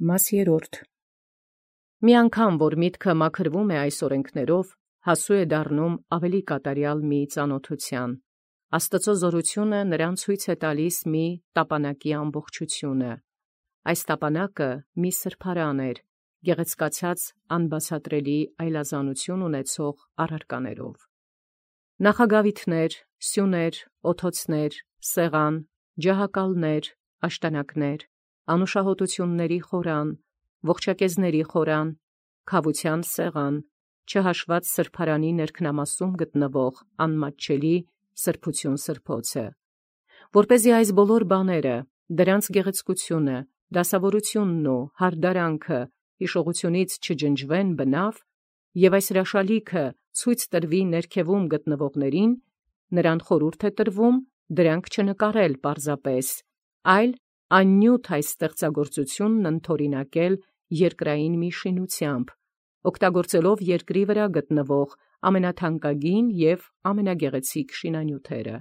Մաս երրորդ. Մի անգամ, որ միտքը մաքրվում է այս օրենքներով, հասու է դառնում ավելի կատարյալ մի ծանոթության։ Աստծո զորությունը նրան ցույց է տալիս մի տապանակի ամբողջությունը։ Այս տապանակը մի սրբարան էր, գեղեցկացած անբացատրելի այլազանություն ունեցող առարկաներով։ Նախագավիթներ, սյուներ, օթոցներ, սեղան, ջահակալներ, աշտանակներ, անուշահոտությունների խորան, ողջակեզների խորան, քավության սեղան, չհաշված սրբարանի ներքնամասում գտնվող անմատչելի սրբություն սրբոցը, որպեսզի այս բոլոր բաները, դրանց գեղեցկությունը, դասավորությունն ու հարդարանքը հիշողությունից չջնջվեն բնավ, եւ այս հրաշալիքը ցույց տրվի ներքևում գտնվողներին, նրան խորհուրդ է տրվում դրանք չնկարել պարզապես, այլ աննյութ այս ստեղծագործությունն ընդօրինակել երկրային մի շինությամբ, օգտագործելով երկրի վրա գտնվող ամենաթանկագին եւ ամենագեղեցիկ շինանյութերը։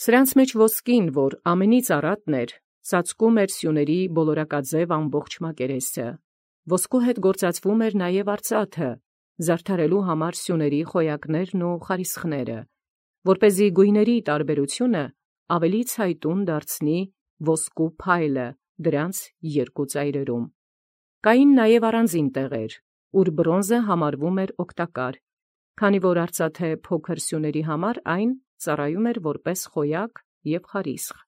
Սրանց մեջ ոսկին, որ ամենից առատն էր, ծածկում էր սյուների բոլորակաձև ամբողջ մակերեսը։ Ոսկու հետ գործածվում էր նաև արծաթը, զարդարելու համար սյուների խոյակներն ու խարիսխները, որպեսզի գույների տարբերությունը ավելի ցայտուն դարձնի ոսկու փայլը դրանց երկու ծայրերում։ Կային նաև առանձին տեղեր, ուր բրոնզը համարվում էր օգտակար, քանի որ արծաթե փոքր սյուների համար այն ծառայում էր որպես խոյակ եւ խարիսխ։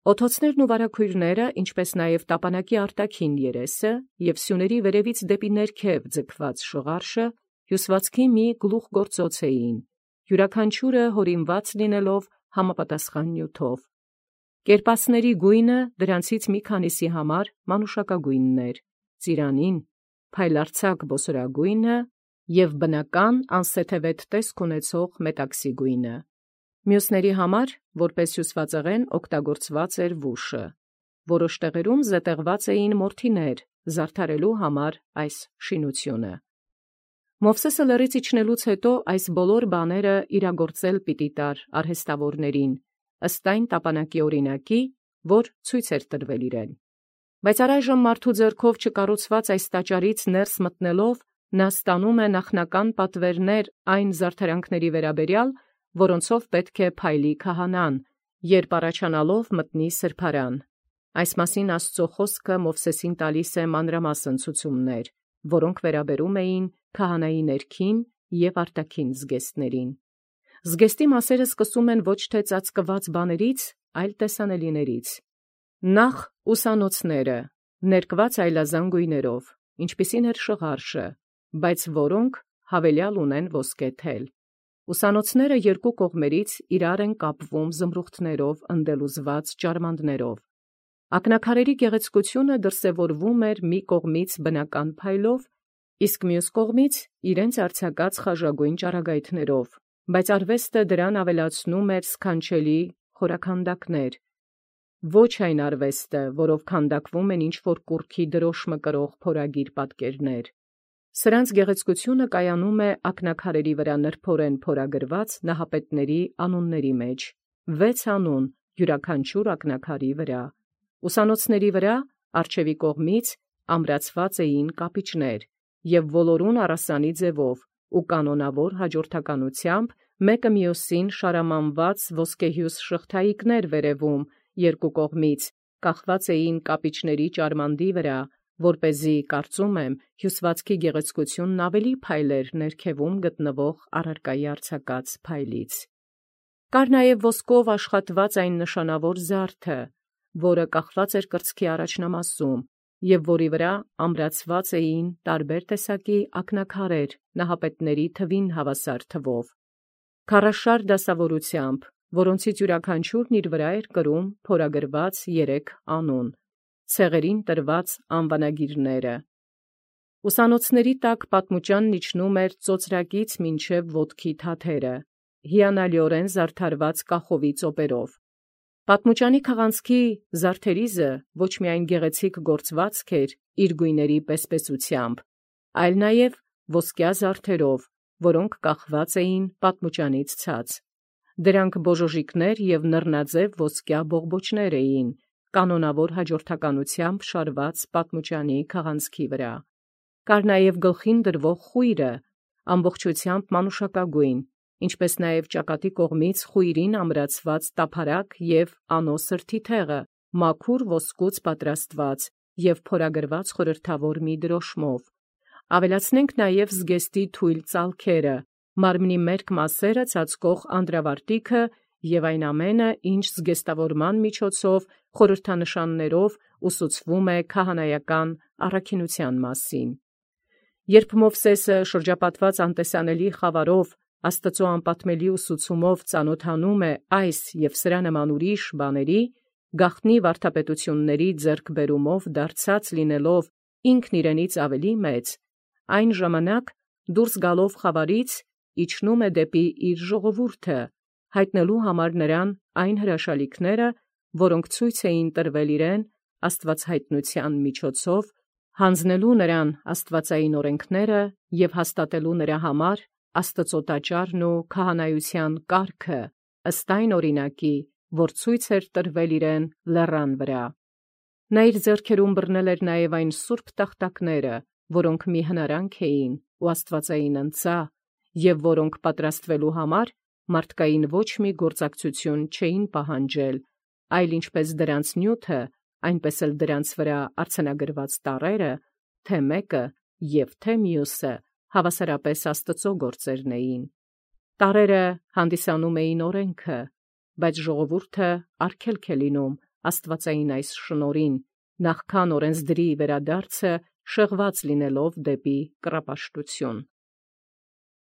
Օթոցներն ու վարագույրները, ինչպես նաև տապանակի արտաքին երեսը եւ սյուների վերևից դեպի ներքև ձգված շղարշը հյուսվածքի մի գլուխգործոց էին, յուրաքանչյուրը հորինված լինելով համապատասխան նյութով։ Կերպասների գույնը դրանցից մի քանիսի համար մանուշակագույնն էր, ծիրանին, փայլարձակ բոսորագույնը եւ բնական անսեթևետ տեսք ունեցող մետաքսի գույնը։ Մյուսների համար, որպես հյուսվածեղեն օգտագործված էր վուշը։ Որոշ տեղերում զետեղված էին մորթիներ, զարդարելու համար այս շինությունը։ Մովսեսը լեռից իջնելուց հետո այս բոլոր բաները իրագործել պիտի տար արհեստավորներին, ըստ այն տապանակի օրինակի, որ ցույց էր տրվել իրեն։ Բայց առայժմ մարդու ձեռքով չկառուցված այս տաճարից ներս մտնելով, նա ստանում է նախնական պատվերներ այն զարդարանքների վերաբերյալ, որոնցով պետք է փայլի քահանան, երբ առաջանալով մտնի սրբարան։ Այս մասին Աստծո խոսքը Մովսեսին տալիս է մանրամասն ցուցումներ, որոնք վերաբերում էին քահանայի ներքին եւ արտաքին զգեստներին։ Զգեստի մասերը սկսում են ոչ թե ծածկված բաներից, այլ տեսանելիներից։ Նախ ուսանոցները, ներկված այլազան գույներով, ինչպիսին էր շղարշը, բայց որոնք հավելյալ ունեն ոսկե թել։ Ուսանոցները երկու կողմերից իրար են կապվում զմրուխտներով ընդելուզված ճարմանդներով։ Ակնաքարերի գեղեցկությունը դրսևորվում էր մի կողմից բնական փայլով, իսկ մյուս կողմից իրենց արձակած խաժագույն ճառագայթներով, բայց արվեստը դրան ավելացնում էր սքանչելի խորաքանդակներ, ոչ այն արվեստը, որով քանդակվում են ինչ-որ կուռքի դրոշմը կրող փորագիր պատկերներ։ Սրանց գեղեցկությունը կայանում է ակնաքարերի վրա նրբորեն փորագրված նահապետների անունների մեջ, 6 անուն յուրաքանչյուր ակնաքարի վրա։ Ուսանոցների վրա առջևի կողմից ամրացված էին կապիճներ եւ ոլորուն առասանի ձևով ու կանոնավոր հաջորդականությամբ մեկը մյուսին շարամանված ոսկեհյուս շղթայիկներ վերևում երկու կողմից կախված էին կապիճների ճարմանդի վրա, որպեսզի կարծում եմ հյուսվածքի գեղեցկությունն ավելի փայլեր ներքևում գտնվող առարկայի արձակած փայլից։ Կար նաև ոսկով աշխատված այն նշանավոր զարդը, որը կախված էր կրծքի առաջնամասում եւ որի վրա ամրացված էին տարբեր տեսակի ակնաքարեր նահապետների թվին հավասար թվով, քառաշար դասավորությամբ, որոնցից յուրաքանչյուրն իր վրա էր կրում փորագրված 3 անուն, ցեղերին տրված անվանագիրները։ Ուսանոցների տակ պատմուճանն իջնում էր ծոծրակից մինչև ոտքի թաթերը, հիանալիորեն զարդարված կախովի ծոպերով։ Պատմուճանի քաղանցքի զարդերիզը ոչ միայն գեղեցիկ գործվածք էր իր գույների պեսպեսությամբ, այլ նաև ոսկյա զարդերով, որոնք կախված էին պատմուճանից ցած։ Դրանք բոժոժիկներ և նռնաձև ոսկյա բողբոջներ էին, կանոնավոր հաջորդականությամբ շարված պատմուճանի քաղանցքի վրա։ Կար նաև գլխին դրվող խույրը, ամբողջությամբ մանուշակագույն, ինչպես նաև ճակատի կողմից խույրին ամրացված տափարակ և անոսր թիթեղը, մաքուր ոսկուց պատրաստված և փորագրված խորհրդավոր մի դրոշմով։ Ավելացնենք նաև զգեստի թույլ ծալքերը, մարմնի մերկ մասերը ծածկող անդրավարտիքը և այն ամենը, ինչ զգեստավորման միջոցով խորհրդանշաններով ուսուցվում է քահանայական առաքինության մասին։ Երբ Մովսէսը շրջապատված անտեսանելի խավարով Աստծո անպատմելի ուսուցումով ծանոթանում է այս և սրա նման ուրիշ բաների, գաղտնի վարդապետությունների ձեռքբերումով դարձած լինելով ինքն իրենից ավելի մեծ, այն ժամանակ դուրս գալով խավարից իջնում է դեպի իր ժողովուրդը, հայտնելու համար նրան այն հրաշալիքները, որոնք ցույց էին տրվել իրեն աստվածհայտնության միջոցով, հանձնելու նրան աստվածային օրենքները և հաստատելու նրա համար Աստծո տաճարն ու քահանայության կարգը, ըստ այն օրինակի, որ ցույց էր տրվել իրեն լեռան վրա։ Նա իր ձեռքերում բռնել էր նաև այն սուրբ տախտակները, որոնք մի հնարանք էին ու աստվածային ընծա, և որոնք պատրաստվելու համար մարդկային ոչ մի գործակցություն չէին պահանջել, այլ ինչպես դրանց նյութը, այնպես էլ դրանց վրա արձանագրված տառերը, թե մեկը և թե մյուսը հավասարապես Աստծո գործերն էին։ Տառերը հանդիսանում էին օրենքը, բայց ժողովուրդը արգելք է լինում աստվածային այս շնորհին, նախքան օրենսդրի վերադարձը շեղված լինելով դեպի կռապաշտություն։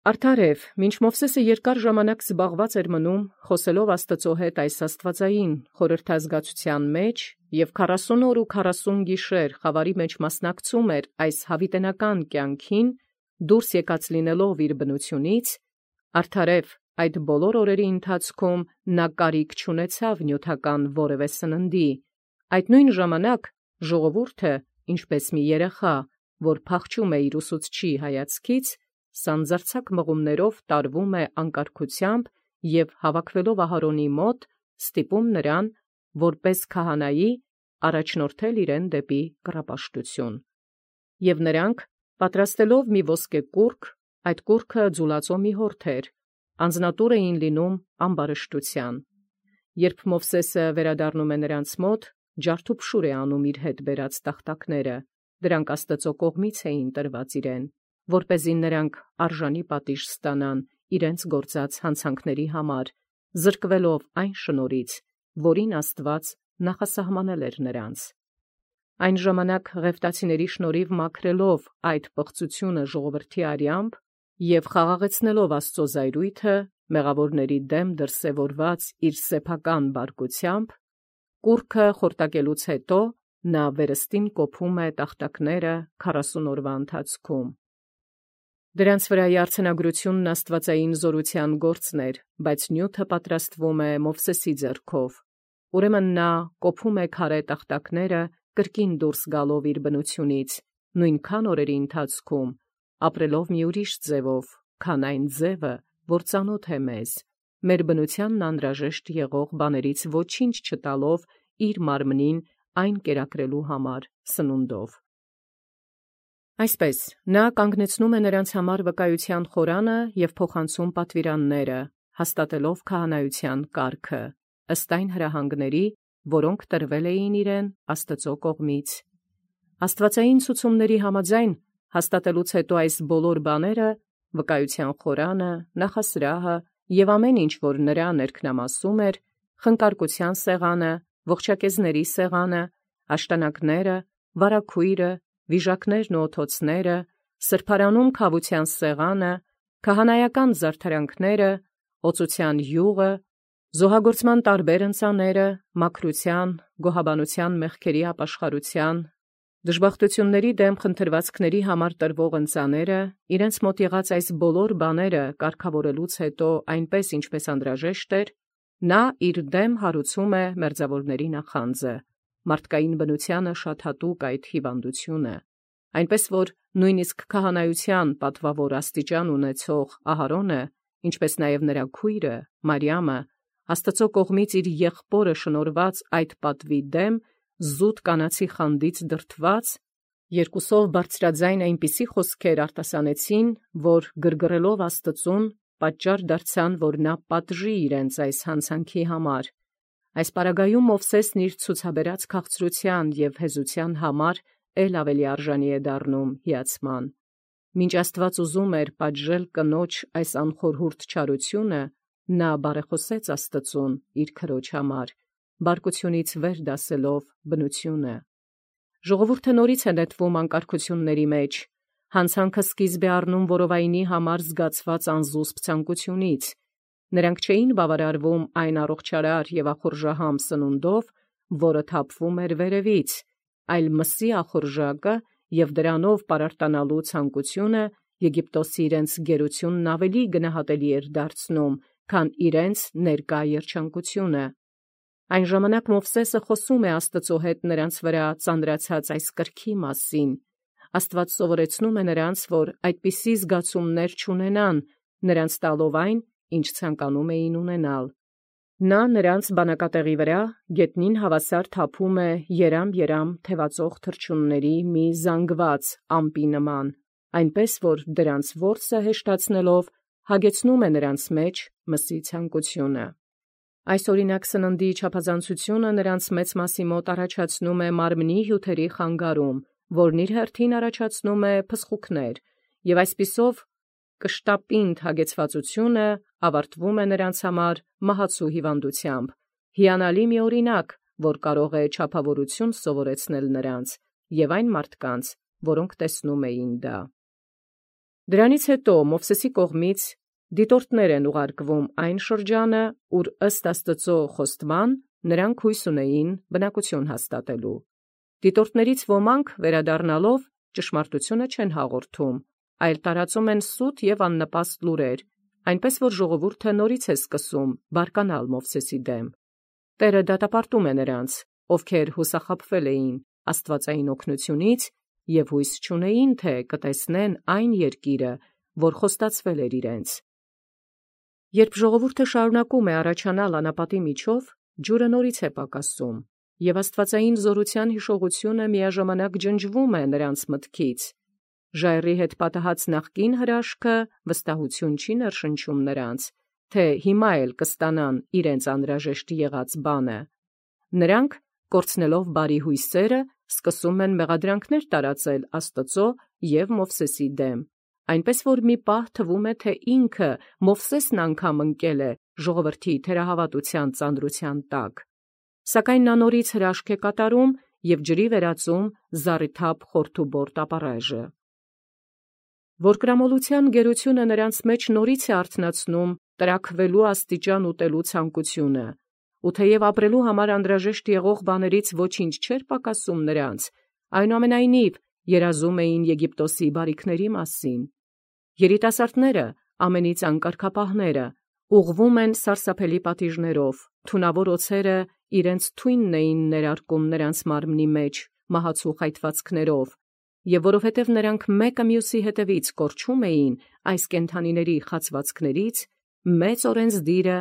Արդարև, մինչ Մովսէսը երկար ժամանակ զբաղված էր մնում, խոսելով Աստծո հետ այս աստվածային խորհրդազգացության մեջ և 40 օր ու 40 գիշեր խավարի մեջ մասնակցում էր այս հավիտենական կյանքին, դուրս եկած լինելով իր բնությունից, արդարև այդ բոլոր օրերի ընթացքում նա կարիք չունեցավ նյութական որևէ սննդի, այդ նույն ժամանակ ժողովուրդը, ինչպես մի երեխա, որ փախչում է իր ուսուցչի հայացքից, սանձարձակ մղումներով տարվում է անկարգությամբ և հավաքվելով Ահարոնի մոտ, ստիպում նրան, որպես քահանայի, առաջնորդել իրեն դեպի կռապաշտություն։ Եւ նրանք, պատրաստելով մի ոսկե կուռք, այդ կուռքը ձուլածո մի հորթ էր, անձնատուր էին լինում ամբարշտության։ Երբ Մովսէսը վերադառնում է նրանց մոտ, ջարդուփշուր է անում իր հետ բերած տախտակները, դրանք Աստծո կողմից էին տրված իրեն, որպեսզի նրանք արժանի պատիժ ստանան իրենց գործած հանցանքների համար, զրկվելով այն շնորհից, որին Աստված նախասահմանել էր նրանց։ Այն ժամանակ ղևտացիների շնորհիվ մաքրելով այդ պղծությունը ժողովրդի արյամբ և խաղաղեցնելով Աստծո զայրույթը, մեղավորների դեմ դրսևորված իր սեփական բարկությամբ, կուռքը խորտակելուց հետո նա վերստին կոփում է տախտակները 40 օրվա ընթացքում։ Դրանց վրայի արձանագրությունն աստվածային զորության գործն էր, բայց նյութը պատրաստվում է Մովսեսի ձեռքով։ Ուրեմն նա կոփում է քարե տախտակները, կրկին դուրս գալով իր բնությունից, նույնքան օրերի ընթացքում, ապրելով մի ուրիշ ձևով, քան այն ձևը, որ ծանոթ է մեզ, մեր բնությանն անհրաժեշտ եղող բաներից ոչինչ չտալով իր մարմնին այն կերակրելու համար սնունդով։ Այսպես, նա կանգնեցնում է նրանց համար վկայության խորանը և փոխանցում պատվիրանները, հաստատելով քահանայության կարգը, ըստ այն հրահանգների, որոնք տրվել էին իրեն Աստծո կողմից։ Աստվածային ցուցումների համաձայն, հաստատելուց հետո այս բոլոր բաները, վկայության խորանը, նախասրահը և ամեն ինչ, որ նրա ներքնամասում էր, խնկարկության սեղանը, ողջակեզների սեղանը, աշտանակները, վարագույրը, վիժակներն ու օթոցները, սրբարանում քավության սեղանը, քահանայական զարդարանքները, օծության յուղը, զոհագործման տարբեր ընծաները, մաքրության, գոհաբանության մեղքերի ապաշխարության, դժբախտությունների դեմ խնդրվածքների համար տրվող ընծաները, իրենց մոտ եղած այս բոլոր բաները կարգավորելուց հետո այնպես, ինչպես անհրաժեշտ էր, նա իր դեմ հարուցում է մերձավորների նախանձը, մարդկային բնությանը շատ հատուկ այդ հիվանդությունը, այնպես որ նույնիսկ քահանայության պատվավոր աստիճան ունեցող Ահարոնը, ինչպես նաև նրա քույրը Մարիամը, Աստծո կողմից իր եղբորը շնորհված այդ պատվի դեմ զուտ կանացի խանդից դրդված, երկուսով բարձրաձայն այնպիսի խոսքեր արտասանեցին, որ գրգռելով Աստծուն պատճառ դարձան, որ նա պատժի իրենց այս հանցանքի համար։ Այս պարագայում Մովսեսն իր ցուցաբերած քաղցրության և հեզության համար ել ավելի արժանի է դառնում հիացման։ Մինչ Աստված ուզում էր պատժել կնոջ այս անխորհուրդ չարությունը, նա բարեխոսեց Աստծուն իր քրոջ համար, բարկությունից վեր դասելով բնությունը։ Ժողովուրդը նորից է նետվում անկարգությունների մեջ, հանցանքը սկիզբ է առնում որովայնի համար զգացված անզուսպ ցանկությունից։ Նրանք չէին բավարարվում այն առողջարար և ախորժահամ սնունդով, որը թափվում էր վերևից, այլ մսի ախորժակը և դրանով պարարտանալու ցանկությունը Եգիպտոսի իրենց գերությունն ավելի գնահատելի էր դարձնում, քան իրենց ներկա երջանկությունը։ Այն ժամանակ Մովսեսը խոսում է Աստծո հետ նրանց վրա ծանրացած այս կրքի մասին։ Աստված սովորեցնում է նրանց, որ այդպիսի զգացումներ չունենան, նրանց տալով այն, ինչ ցանկանում էին ունենալ։ Նա նրանց բանակատեղի վրա գետնին հավասար թափում է երամ թևածող թռչունների մի զանգված ամպի նման, այնպես որ դրանց որսը հեշտացնելով հագեցնում է նրանց մեջ մսի ցանկությունը։ Այս օրինակ սննդի չափազանցությունը նրանց մեծ մասի մոտ առաջացնում է մարմնի հյութերի խանգարում, որն իր հերթին առաջացնում է փսխուքներ, և այսպիսով կշտապինդ հագեցվածությունը ավարտվում է նրանց համար մահացու հիվանդությամբ, հիանալի մի օրինակ, որ կարող է չափավորություն սովորեցնել նրանց և այն մարդկանց, որոնք տեսնում էին դա։ Դրանից հետո Մովսեսի կողմից դիտորդներ են ուղարկվում այն շրջանը, ուր ըստ Աստծո խոստման նրանք հույս ունեին բնակություն հաստատելու։ Դիտորդներից ոմանք վերադառնալով ճշմարտությունը չեն հաղորդում, այլ տարածում են սուտ և աննպաստ լուրեր, այնպես որ ժողովուրդը նորից է սկսում բարկանալ Մովսեսի դեմ։ Տերը դատապարտում է նրանց, ովքեր հուսախաբվել էին աստվածային օգնությունից և հույս չունեին, թե կտեսնեն այն երկիրը, որ խոստացվել էր իրենց։ Երբ ժողովուրդը շարունակում է առաջանալ անապատի միջով, ջուրը նորից է պակասում, և աստվածային զորության հիշողությունը միաժամանակ ջնջվում է նրանց մտքից։ Ժայռի հետ պատահած նախկին հրաշքը վստահություն չի ներշնչում նրանց, թե հիմա էլ կստանան իրենց անհրաժեշտ եղած բանը։ Նրանք, կորցնելով բարի հույսերը, սկսում են մեղադրանքներ տարածել Աստծո և Մովսեսի դեմ, այնպես որ մի պահ թվում է, թե ինքը Մովսեսն անգամ ընկել է ժողովրդի թերահավատության ծանրության տակ։ Սակայն նա նորից հրաշք է կատարում և ջրի վերածում զառիթափ խորթուբորտ ապառաժը։ Որկրամոլության գերությունը նրանց մեջ նորից է արթնացնում տրաքվելու աստիճան ուտելու ցանկությունը, ու թեև ապրելու համար անհրաժեշտ եղող բաներից ոչինչ չէր պակասում նրանց, այնուամենայնիվ երազում էին Եգիպտոսի բարիքների մասին։ Երիտասարդները, ամենից անկարգապահները, ուղղվում են սարսափելի պատիժներով, թունավոր օձերը իրենց թույնն էին ներարկում նրանց մարմնի մեջ մահացու խայթվածքներով, և որովհետև նրանք մեկը մյուսի հետևից կորչում էին այս կենդանիների խացվածքներից, մեծ օրենսդիրը,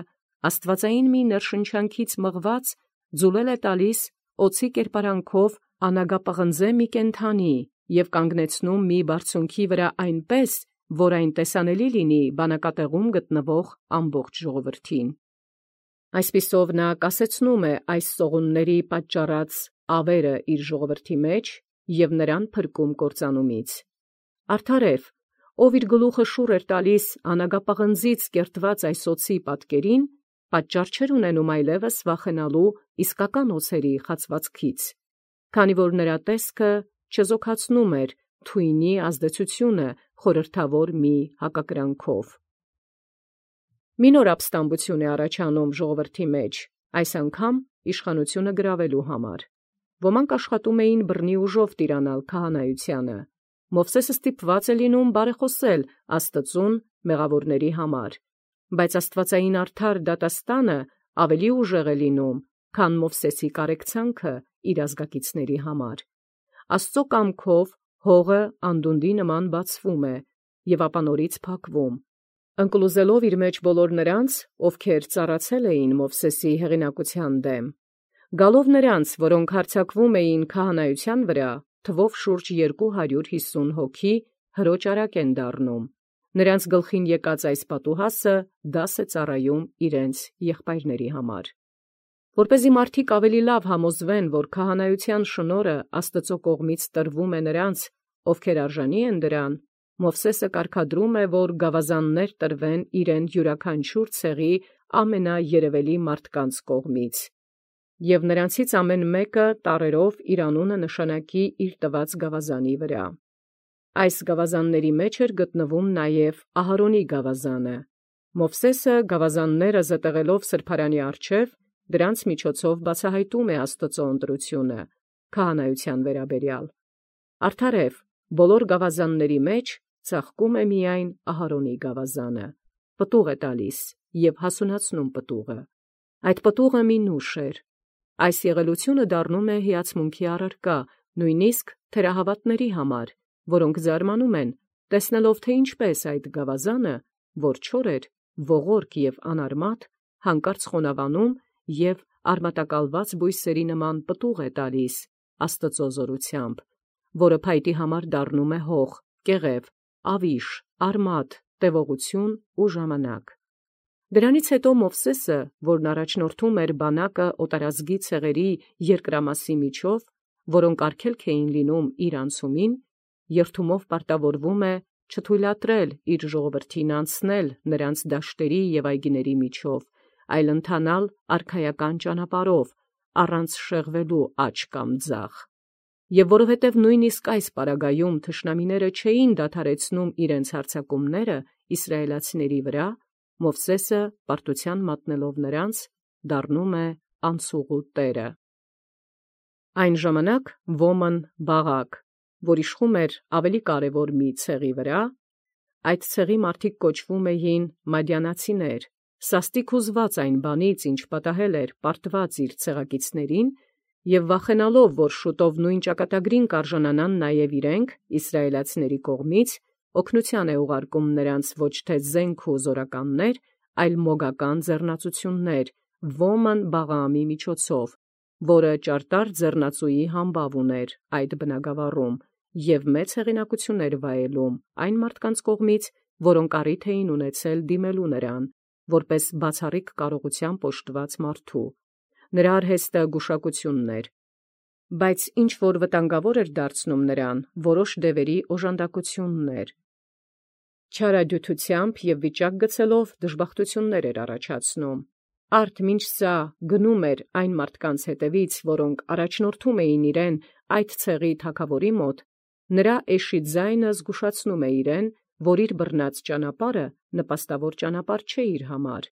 աստվածային մի ներշնչանքից մղված, ձուլել է տալիս օձի կերպարանքով անագապղնձե մի կենդանի և կանգնեցնում մի բարձունքի վրա այնպես, որ այն տեսանելի լինի բանակատեղում գտնվող ամբողջ ժողովրդին։ Այսպիսով նա կասեցնում է այս սողունների պատճառած ավերը իր ժողովրդի մեջ և նրան փրկում կործանումից։ Արդարև, ով իր գլուխը շուռ էր տալիս անագապղնձից կերտված այս օձի պատկերին, պատճառ չէր ունենում այլևս վախենալու իսկական օձերի խացվածքից, քանի որ նրա տեսքը չեզոքացնում էր թույնի ազդեցությունը խորհրդավոր մի հակակրանքով։ Մի նոր ապստամբություն է առաջանում ժողովրդի մեջ, այս անգամ իշխանությունը գրավելու համար։ Ոմանք աշխատում էին բռնի ուժով տիրանալ քահանայությանը։ Մովսեսը ստիպված է լինում բարեխոսել Աստծուն մեղավորների համար, բայց աստվածային արդար դատաստանը ավելի ուժեղ է լինում, քան Մովսեսի կարեկցանքը իր ազգակիցների համար։ Աստծո կամքով հողը անդունդի նման բացվում է և ապա նորից փակվում, ընկլուզելով իր մեջ բոլոր նրանց, ովքեր ծառացել էին Մովսեսի հեղինակության դեմ։ Գալով նրանց, որոնք հարձակվում էին քահանայության վրա, թվով շուրջ 250 հոգի հրոճարակ են դառնում։ Նրանց գլխին եկած այս պատուհասը դաս է ծառայում իրենց եղբայրների համար։ Որպեսզի մարդիկ ավելի լավ համոզվեն, որ քահանայության շնորհը Աստծո կողմից տրվում է նրանց, ովքեր արժանի են դրան, Մովսեսը կարգադրում է, որ գավազաններ տրվեն իրեն յուրաքանչյուր ցեղի ամենաերևելի մարդկանց կողմից, և նրանցից ամեն մեկը տառերով իր անունը նշանակի իր տված գավազանի վրա։ Այս գավազանների մեջ էր գտնվում նաև Ահարոնի գավազանը։ Մովսեսը գավազանները զտեղելով սրբարանի առջև, դրանց միջոցով բացահայտում է Աստծո ընտրությունը քահանայության վերաբերյալ։ Արդարև, բոլոր գավազանների մեջ ծաղկում է միայն Ահարոնի գավազանը, պտուղ է տալիս և հասունացնում պտուղը։ Այդ պտուղը մի նուշ էր։ Այս եղելությունը դառնում է հիացմունքի առարկա, նույնիսկ թերահավատների համար, որոնք զարմանում են, տեսնելով, թե ինչպես այդ գավազանը, որ չոր էր, ողորկ և անարմատ, հանկարծ խոնավանում և արմատակալված բույսերի նման պտուղ է տալիս Աստծո զորությամբ, որը փայտի համար դառնում է հող, կեղև, ավիշ, արմատ, տևողություն ու ժամանակ։ Դրանից հետո Մովսեսը, որն առաջնորդում էր բանակը օտարազգի ցեղերի երկրամասի միջով, որոնք արգելք էին լինում իր անցումին, երդումով պարտավորվում է չթույլատրել իր ժողովրդին անցնել նրանց դաշտերի և այգիների միջով, այլ ընթանալ արքայական ճանապարհով, առանց շեղվելու աջ կամ ձախ։ Եվ որովհետև նույնիսկ այս պարագայում թշնամիները չէին դադարեցնում իրենց հարձակումները իսրայելացիների վրա, Մովսեսը, պարտության մատնելով նրանց, դառնում է անցուղու տերը։ Այն ժամանակ Ոման Բաղաք, որ իշխում էր ավելի կարևոր մի ցեղի վրա, այդ ցեղի մարդիկ կոչվում էին մադյանացիներ, սաստիկ հուզված այն բանից, ինչ պատահել էր պարտված իր ցեղակիցներին, և վախենալով, որ շուտով նույն ճակատագրին կարժանանան նաև իրենք, իսրայելացիների կողմից, օգնության է ուղարկում նրանց ոչ թե զենք ու զորականներ, այլ մոգական ձեռնացություններ Ոման Բաղաամի միջոցով, որը ճարտար ձեռնածուի համբավ ուներ այդ բնագավառում և մեծ հեղինակություն էր վայելում այն մարդկանց կողմից, որոնք առիթ էին ունեցել դիմելու նրան, որպես բացառիկ կարողությամբ օժտված մարդու։ Նրա արհեստը գուշակությունն էր, բայց ինչ որ վտանգավոր էր դարձնում նրան, որոշ դևերի օժանդակությունն էր։ Չարադյութությամբ և վիճակ գցելով դժբախտություններ էր առաջացնում։ Արդ մինչ սա գնում էր այն մարդկանց հետևից, որոնք առաջնորդում էին իրեն այդ ցեղի թագավորի մոտ, նրա էշի ձայնը զգուշացնում է իրեն, որ իր բռնած ճանապարհը նպաստավոր ճանապարհ չէ իր համար։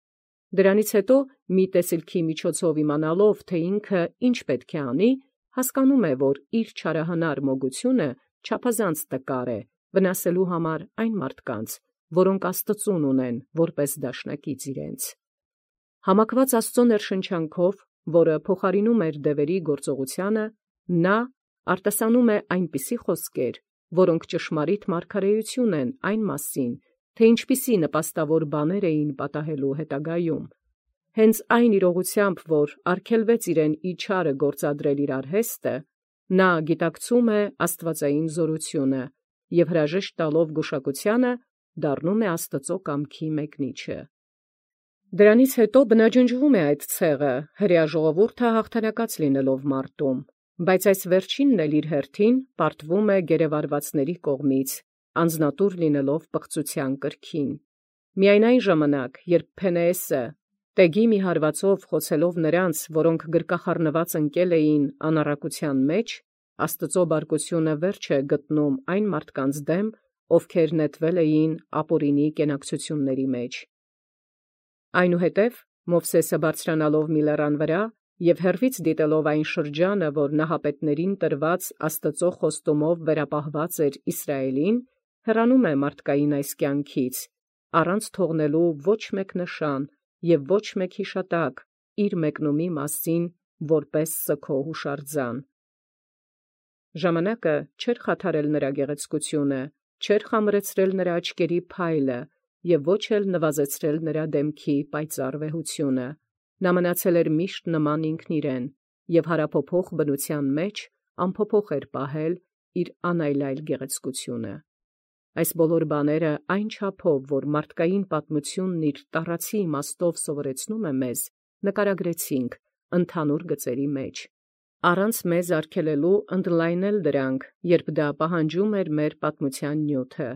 Դրանից հետո մի տեսիլքի միջոցով իմանալով, թե ինքը ինչ պետք է անի, հասկանում է, որ իր չարահնար մոգությունը չափազանց տկար է վնասելու համար այն մարդկանց, որոնք Աստծուն ունեն որպես դաշնակից իրենց։ Համակված Աստծո ներշնչանքով, որը փոխարինում էր դևերի գործողությանը, նա արտասանում է այնպիսի խոսքեր, որոնք ճշմարիտ մարգարեություն են այն մասին, թե ինչպիսի նպաստավոր բաներ էին պատահելու հետագայում։ Հենց այն իրողությամբ, որ արգելվեց իրեն իչարը գործադրել իր արհեստը, նա գիտակցում է աստվածային զորությունը և հրաժեշտ տալով գուշակությանը դառնում է Աստծո կամքի մեկնիչը։ Դրանից հետո բնաջնջվում է այդ ցեղը, հրեա ժողովուրդը հաղթանակած լինելով մարտում, բայց այս վերջինն էլ իր հերթին պարտվում է գերեվարվածների կողմից, անձնատուր լինելով պղծության կրքին։ Միայն այն ժամանակ, երբ Փենեեսը տեգի մի հարվածով խոցելով նրանց, որոնք գրկախառնված ընկել էին անառակության մեջ, Աստծո բարկությունը վերջ է գտնում այն մարդկանց դեմ, ովքեր նետվել էին ապօրինի կենակցությունների մեջ։ Այնուհետև Մովսեսը բարձրանալով մի լեռան վրա և հեռվից դիտելով այն շրջանը, որ նահապետներին տրված Աստծո խոստումով վերապահված էր Իսրայելին, հեռանում է մարդկային այս կյանքից, առանց թողնելու ոչ մեկ նշան և ոչ մեկ հիշատակ իր մեկնումի մասին որպես սգո հուշարձան։ Ժամանակը չէր խաթարել նրա գեղեցկությունը, չէր խամրեցրել նրա աչքերի փայլը և ոչ էլ նվազեցրել նրա դեմքի պայծառ վեհությունը։ Նա մնացել էր միշտ նման ինքն իրեն և հարափոփոխ բնութեան մեջ անփոփոխ պահել իր անայլայլ գեղեցկությունը։ Այս բոլոր բաները այն չափով, որ մարդկային պատմությունն իր տառացի իմաստով սովորեցնում է մեզ, նկարագրեցինք ընդհանուր գծերի մեջ, առանց մեզ արգելելու ընդլայնել դրանք, երբ դա պահանջում էր մեր պատմության նյութը։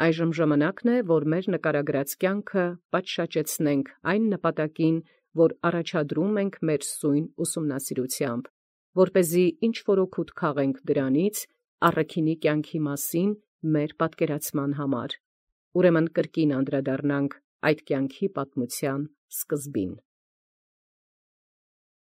Այժմ ժամանակն է, որ մեր նկարագրած կյանքը պատշաճեցնենք այն նպատակին, որ առաջադրում ենք մեր սույն ուսումնասիրութեամբ, որպեսզի ինչ-որ օգուտ քաղենք դրանից առաքինի կյանքի մասին մեր պատկերացման համար։ Ուրեմն կրկին անդրադառնանք այդ կյանքի պատմության սկզբին։